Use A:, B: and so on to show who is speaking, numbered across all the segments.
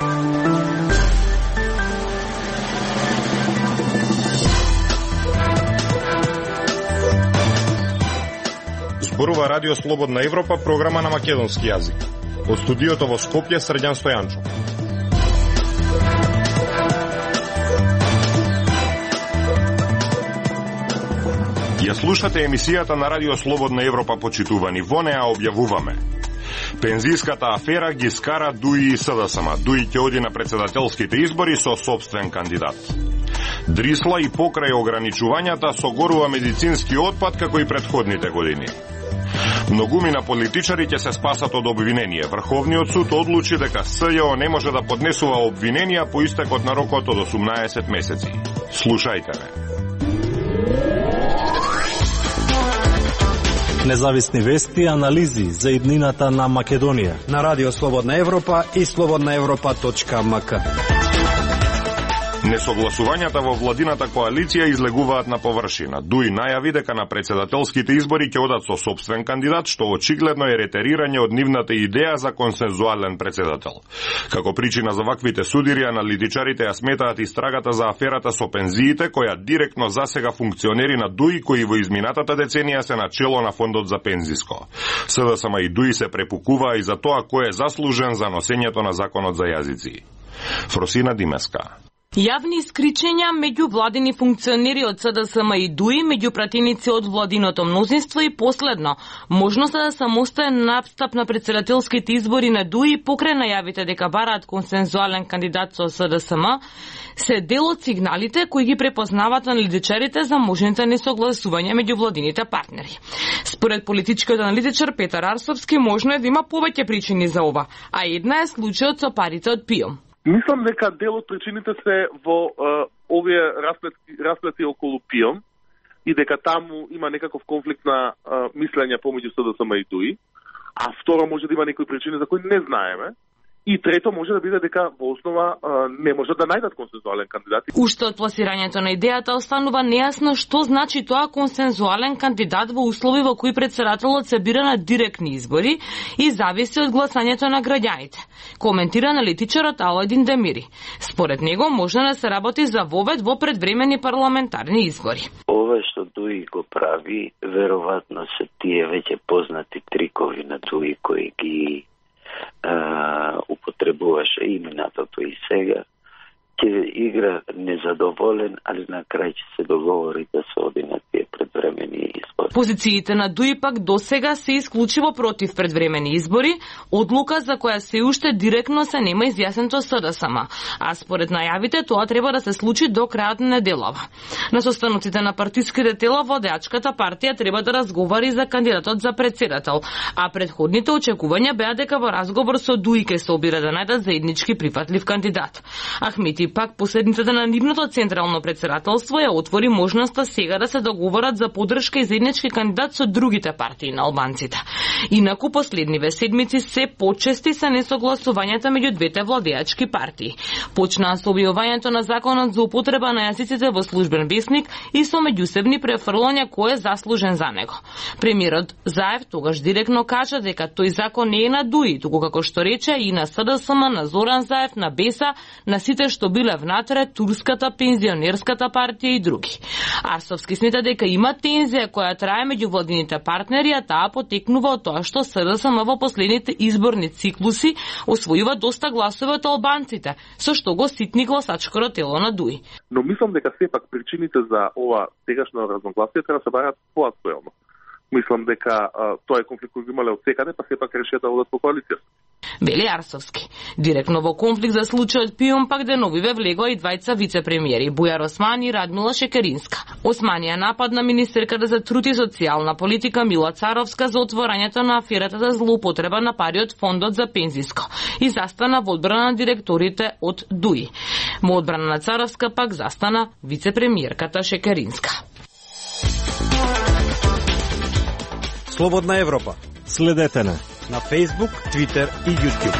A: Зборува Радио Слободна Европа, програма на македонски јазик. Од студиото во Скопје, Срđan Стојанчо. Ја слушате емисијата на Радио Слободна Европа, почитувани. Во неа објавуваме: пензиската афера ги скара ДУИ и СДСМ. ДУИ ќе оди на председателските избори со собствен кандидат. Дрисла и покрај ограничувањата согорува медицински отпад како и претходните години. Многумина политичари ќе се спасат од обвинение. Врховниот суд одлучи дека СЈО не може да поднесува обвиненија по истекот на рокот од 18 месеци. Слушајте ме.
B: Независни вести и анализи за иднината на Македонија
C: на Радио Слободна Европа и slobodnaevropa.mk.
A: Несогласувањата во владината коалиција излегуваат на површина. ДУИ најави дека на председателските избори ќе одат со собствен кандидат, што очигледно е ретерирање од нивната идеја за консензуален председател. Како причина за ваквите судири, аналитичарите ја сметаат истрагата за аферата со пензиите, која директно засега функционери на ДУИ, кои во изминатата деценија се начело на фондот за пензиско. СДСМ и ДУИ се препукуваа и за тоа кој е заслужен за носењето на законот за јазици. Фросина Димеска.
D: Јавни искричења меѓу владини функционери од СДСМ и ДУИ, меѓу пратеници од владиното мнозинство и последно, можноста за самостоен настап на председателските избори на ДУИ покрај најавите дека бараат консензуален кандидат со СДСМ, се дел од сигналите кои ги препознаваат аналитичарите за можните несогласувања меѓу владините партнери. Според политичкиот аналитичар Петар Арсовски, можно е да има повеќе причини за ова, а една е случајот со парите од ПИОМ.
E: Мислам дека дел од причините се во овие расплети околу ПИОМ и дека таму има некаков конфликт на мислење помеѓу СДСМ и ДУИ, а второ може да има некои причини за кои не знаеме. И трето може да биде дека во основа не може да најдат консензуален кандидат.
D: Уште од пласирањето на идејата останува нејасно што значи тоа консензуален кандидат во услови во кои председателот се бира на директни избори и зависи од гласањето на граѓаните. Коментира аналитичарот Аладин Демири. Според него може да се работи за вовед во предвремени парламентарни избори.
F: Ова што ДУИ го прави, веројатно се тие веќе познати трикови на ДУИ кои ги употребуваше и минатото и сега, ќе игра незадоволен, али на крај ќе се договори да се оди на тие предвремени избори.
D: Позициите на ДУИ пак досега се исклучиво против предвремени избори, одлука за која се уште директно се нема изјаснето СДСМ, а според најавите тоа треба да се случи до крајот на неделава. На состаноците на партиските тела водачката партија треба да разговари за кандидатот за председател, а предходните очекувања беа дека во разговор со ДУИ ќе се обира да најдат заеднички прифатлив кандидат. Ахмети пак последниците на нивното централно председателство ја отвори можноста сега да се договорат за поддршка и заеднички кандидат со другите партии на албанците. Инаку последниве седмици се почести се несогласувањата меѓу двете владеачки партии. Почнаа со објавувањето на законот за употреба на јазиците во службен весник и со меѓусебни префрлања кој е заслужен за него. Премиерот Заев тогаш директно кажа дека тој закон не е на ДУИ, туку како што рече и на СДСМ, на Зоран Заев, на БЕСА, на сите што биле внатре, Турската пензионерската партија и други. Арсовски смета дека има тензија која трае меѓу владините партнери, а таа потекнува од тоа што СДСМ во последните изборни циклуси освојува доста гласови од албанците, со што го ситни гласачко тело на ДУИ.
E: Но мислам дека сепак причините за ова сегашно разногласие треба да се бараат поактуелно. Мислам дека тоа е конфликт кој го имале од секаде, па сепак решија да одат по коалиција.
D: Вели Арсовски. Директно во конфликт за случајот ПИОМ пак деновиве влегоа и двајца вице-премиери, Бујар Османи и Радмила Шекеринска. Османи ја нападна министерката за труд и социјална политика Мила Царовска за отворањето на аферата за злоупотреба на пари од фондот за пензиско и застана во одбрана на директорите од ДУИ. Во одбрана на Царовска пак застана вице-премиерката Шекеринска.
C: Слободна Европа.
B: Следете на
C: Facebook, Twitter и YouTube.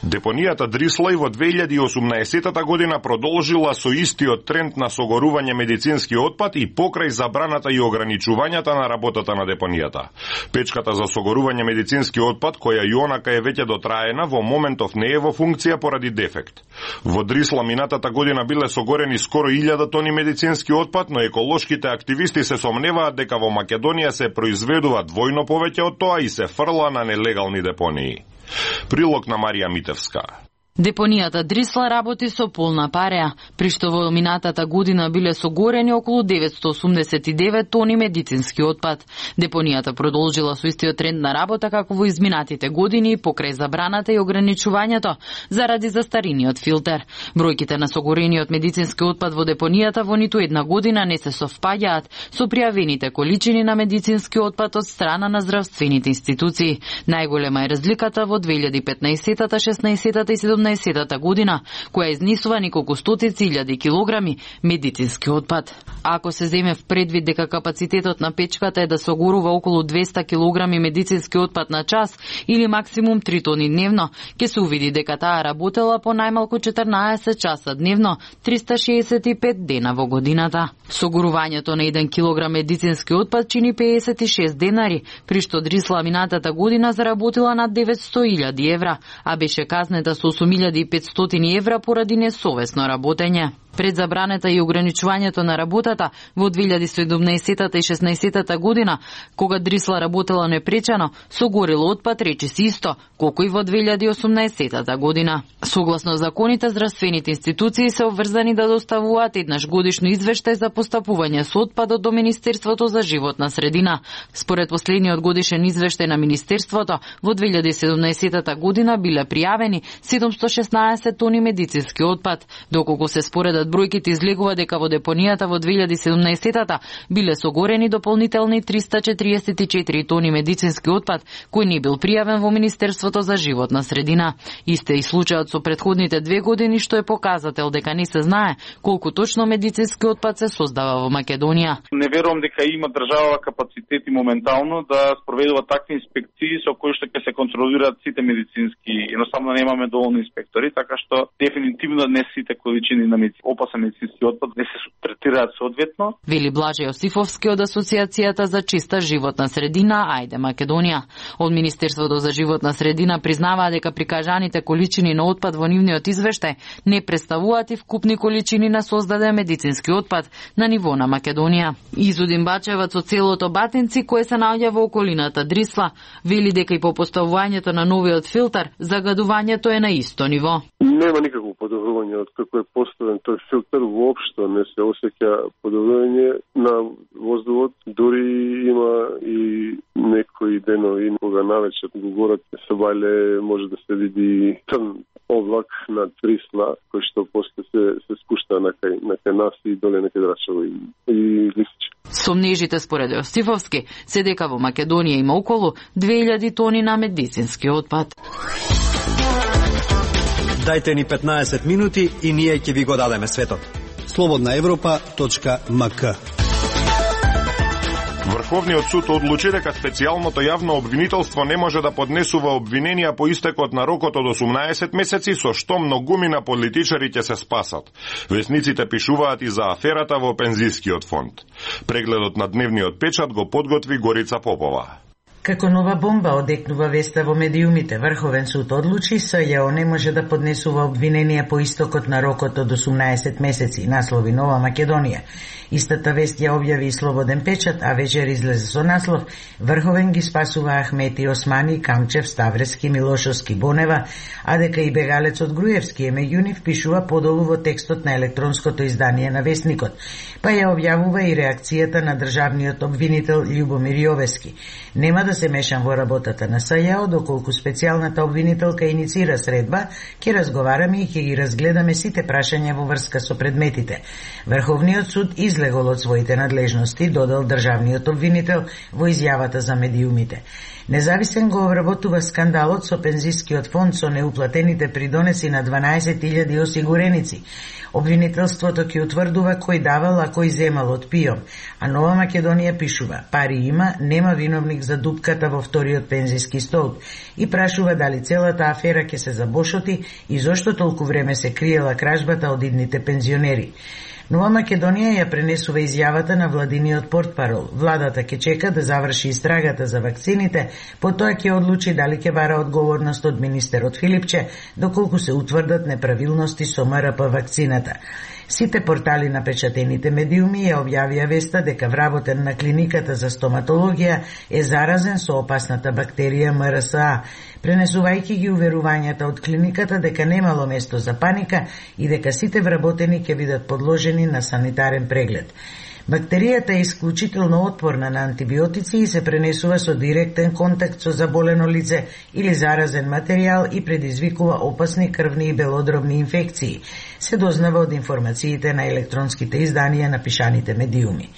A: Депонијата Дрисла и во 2018 година продолжила со истиот тренд на согорување медицински отпад и покрај забраната и ограничувањата на работата на депонијата. Печката за согорување медицински отпад, која и онака е веќе дотраена, во моментов не е во функција поради дефект. Во Дрисла минатата година биле согорени скоро 1000 тони медицински отпад, но еколошките активисти се сомневаат дека во Македонија се произведува двојно повеќе од тоа и се фрла на нелегални депонии. Прилог на Марија Митевска.
G: Депонијата Дрисла работи со полна пареа, при што во минатата година биле согорени околу 989 тони медицински отпад. Депонијата продолжила со истиот тренд на работа како во изминатите години покрај забраната и ограничувањето заради застариниот филтер. Бројките на согорениот медицински отпад во депонијата во ниту една година не се совпаѓаат со пријавените количини на медицински отпад од страна на здравствените институции. Најголема е разликата во 2015, 16 и 17 година, која изнесува неколку стотици илјади килограми медицински отпад. Ако се земе в предвид дека капацитетот на печката е да согорува околу 200 килограми медицински отпад на час или максимум 3 тони дневно, ќе се увиди дека таа работела по најмалку 14 часа дневно, 365 дена во годината. Согорувањето на 1 килограм медицински отпад чини 56 денари, при што Дрисла минатата година заработила над 900.000 евра, а беше казнета со 8.500 евра поради несовесно работење. Пред забраната и ограничувањето на работата во 2017 и 16 година, кога Дрисла работела непречено, согорело отпад речиси исто, колку и во 2018 година. Согласно законите, здравствените институции се обврзани да доставуваат еднаш годишно извештај за постапување со отпадот до Министерството за животна средина. Според последниот годишен извештај на Министерството, во 2017 година биле пријавени 716 тони медицински отпад, доколку се споредат бројките излегува дека во депонијата во 2017 биле согорени дополнителни 344 тони медицински отпад, кој не бил пријавен во Министерството за животна средина. Исте и случајот со претходните 2 години, што е показател дека не се знае колку точно медицински отпад се создава во Македонија.
H: Не верувам дека има држава капацитети моментално да спроведува такви инспекции со кои што ќе се контролираат сите медицински. Едноставно немаме доволно инспектори, така што дефинитивно не сите количини на опасен медицински отпад не се третираат соодветно.
G: Вели Блаже Јосифовски од Асоциацијата за чиста животна средина Ајде Македонија. Од Министерството за животна средина признаваа дека прикажаните количини на отпад во нивниот извештај не представуваат и вкупни количини на создаден медицински отпад на ниво на Македонија. Изудин Бачевац од селото Батинци, кое се наоѓа во околината Дрисла, вели дека и по поставувањето на новиот филтер, загадувањето е на исто ниво.
I: Нема никакво подобрување од како е поставен тој филтер, воопшто не се осеќа подобрување на воздухот, дури има и некои денови кога навечер го горат се вале, може да се види црн облак над Дрисла, кој што после се спушта на кај нас и доле на кај Драчево и Лисиче.
G: Сомнежите според Јосифовски се дека во Македонија има околу 2000 тони на медицински отпад.
C: Дајте ни 15 минути и ние ќе ви го дадеме светот.
J: slobodnaevropa.mk.
A: Врховниот суд одлучи дека специјалното јавно обвинителство не може да поднесува обвиненија по истекот на рокот од 18 месеци, со што многумина политичари ќе се спасат. Весниците пишуваат и за аферата во пензискиот фонд. Прегледот на дневниот печат го подготви Горица Попова.
K: Како нова бомба одекнува веста во медиумите. Врховен суд одлучи СЈО не може да поднесува обвиненија по истокот на рокот од 18 месеци, наслови Нова Македонија. Истата вест ја објави и Слободен печат, а вечер излезе со наслов Врховен ги спасува Ахмети, Османи, Камчев, Ставрески, Милошовски, Бонева, а дека и бегалецот Груевски е меѓу нив, пишува подолу во текстот на електронското издание на Вестникот. Па ја објавува и реакцијата на државниот обвинител Љубомир Јовески. Нема да се мешам во работата на СЈО, доколку специјалната обвинителка иницира средба, ќе разговараме и ќе ги разгледаме сите прашања во врска со предметите. Врховниот суд излегол од своите надлежности, додал државниот обвинител во изјавата за медиумите. Независен го обработува скандалот со пензискиот фонд со неуплатените придонеси на 12.000 осигуреници. Обвинителството ќе утврдува кој давал, а кој земал од ПИОМ, а Нова Македонија пишува: пари има, нема виновник за дупката во вториот пензиски столб и прашува дали целата афера ќе се забошоти и зошто толку време се криела кражбата од идните пензионери. Нова Македонија ја пренесува изјавата на владиниот портпарол. Владата ќе чека да заврши истрагата за вакцините, потоа ќе одлучи дали ќе бара одговорност од министерот Филипче, доколку се утврдат неправилности со МРП вакцината. Сите портали на печатените медиуми ја објавија веста дека вработен на клиниката за стоматологија е заразен со опасната бактерија МРСА, пренесувајќи ги уверувањата од клиниката дека немало место за паника и дека сите вработени ќе бидат подложени на санитарен преглед. Бактеријата е исклучително отпорна на антибиотици и се пренесува со директен контакт со заболено лице или заразен материјал и предизвикува опасни крвни и белодробни инфекции, се дознава од информациите на електронските изданија на пишаните медиуми.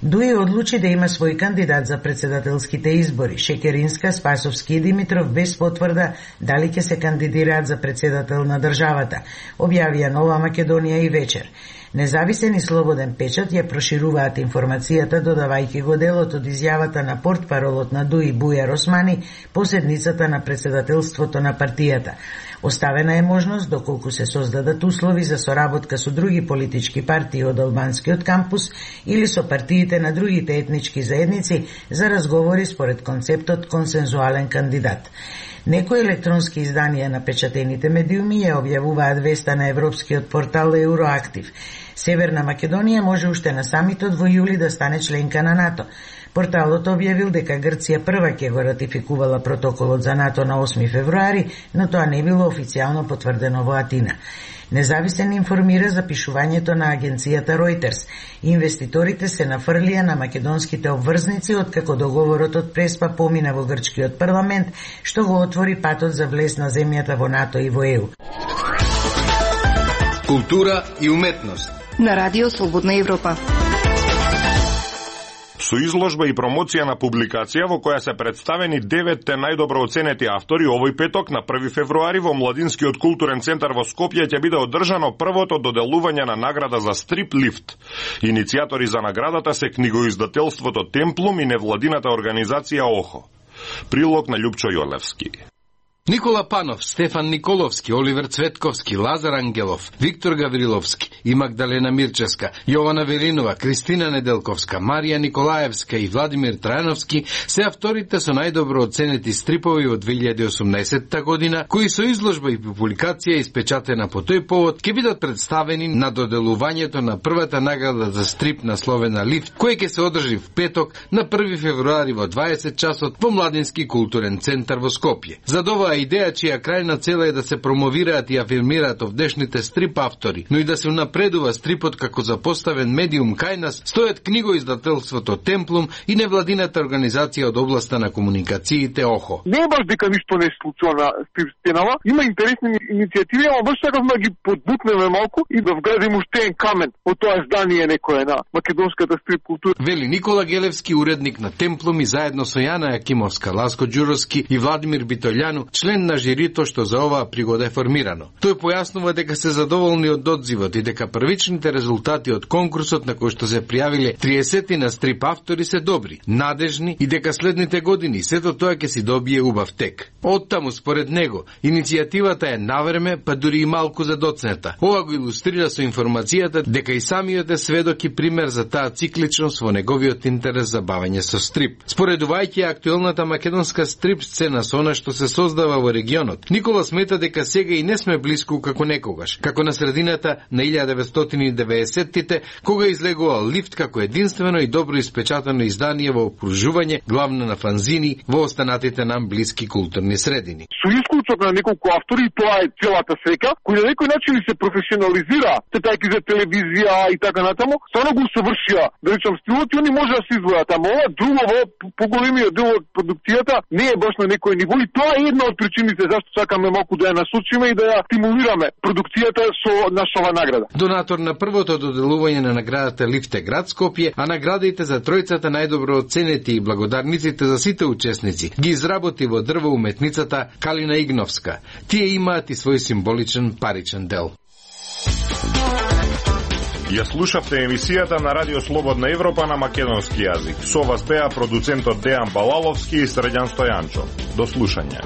K: ДУИ одлучи да има свој кандидат за председателските избори, Шекеринска, Спасовски и Димитров, без потврда дали ќе се кандидираат за председател на државата, објавија Нова Македонија и вечер. Независен и слободен печат ја прошируваат информацијата, додавајќи го делот од изјавата на портпаролот на ДУИ Бујар Османи по седницата на председателството на партијата. Оставена е можност, доколку се создадат услови за соработка со други политички партии од албанскиот кампус или со партиите на другите етнички заедници за разговори според концептот консензуален кандидат. Некои електронски изданија на печатените медиуми ја објавуваат веста на европскиот портал Евроактив. Северна Македонија може уште на самитот во јули да стане членка на НАТО. Порталот објавил дека Грција прва ќе го ратификувала протоколот за НАТО на 8 февруари, но тоа не било официјално потврдено во Атина. Независен информира за пишувањето на агенцијата Reuters. Инвеститорите се нафрлија на македонските обврзници откако договорот од Преспа помина во грчкиот парламент, што го отвори патот за влез на земјата во НАТО и во ЕУ.
J: Култура и уметност
L: на Радио Слободна Европа.
A: Со изложба и промоција на публикација во која се представени 9 најдобро оценети автори, овој петок на 1 февруари во Младинскиот културен центар во Скопје ќе биде одржано првото доделување на награда за стрип лифт. Иницијатори за наградата се книгоиздателството Темплум и невладината организација ОХО. Прилог на Љупчо Јолевски.
J: Никола Панов, Стефан Николовски, Оливер Цветковски, Лазар Ангелов, Виктор Гавриловски и Магдалена Мирчевска, Јована Велинова, Кристина Неделковска, Марија Николаевска и Владимир Трајановски се авторите со најдобро оценети стрипови од 2018 година, кои со изложба и публикација испечатена по тој повод ќе бидат представени на доделувањето на првата награда за стрип насловена Лифт, кој ќе се одржи в петок на 1 февруари во 20 часот во Младински културен центар во Скопје. За оваа идеја чија крајна цела е да се промовираат и афирмираат овдешните стрип автори, но и да се унапредува стрипот како запоставен медиум кај нас, стојат книгоиздателството Темплум и невладината организација од областа на комуникациите ОХО.
M: Не е баш дека ништо не се случува на стрип стенава, има интересни иницијативи, ама баш сакавме да ги подбутнеме малку и да вградим уште еден камен од тоа издание некое на македонската стрип култура.
J: Вели Никола Гелевски, уредник на Темплум, и заедно со Јана Јакимовска, Ласко Ѓуровски и Владимир Битољану, член на жирито што за оваа пригода е формирано. Тој појаснува дека се задоволни од одзивот и дека првичните резултати од конкурсот на кој што се пријавиле 30 на стрип автори се добри, надежни и дека следните години сето тоа ќе си добие убав тек. Оттаму според него, иницијативата е навреме, па дури и малку задоцнета. Ова го илустрира со информацијата дека и самиот е сведок и пример за таа цикличност во неговиот интерес за бавење со стрип. Споредувајќи актуелната македонска стрип сцена со она што се создава во регионот, Никола смета дека сега и не сме блиску како некогаш, како на средината на 1990-тите, кога излегувал Лифт како единствено и добро испечатано издание во окружување главно на фанзини во останатите нам блиски културни средини.
M: Со исклучок на неколку автори, тоа е целата сека, кој на некој начин се професионализира, тетајки за телевизија и така натаму, стварно го усовршија, да речам, стилот и они може да се извојат, ама ова друго, поголемиот дел од продукцијата не е баш на некој ниво и тоа е една од причините зашто сакаме малку да ја насочиме и да ја стимулираме продукцијата со нашава награда.
J: Донатор на првото доделување на наградата Лифт е град Скопје, а наградите за тројцата најдобро оценети и благодарниците за сите учесници ги изработи во дрво уметницата Калина Игновска. Тие имаат и свој символичен паричен дел.
A: Ја слушавте емисијата на Радио Слободна Европа на македонски јазик. Со вас беа продуцентот Дејан Балаловски и Средјан Стојанчо. До слушање.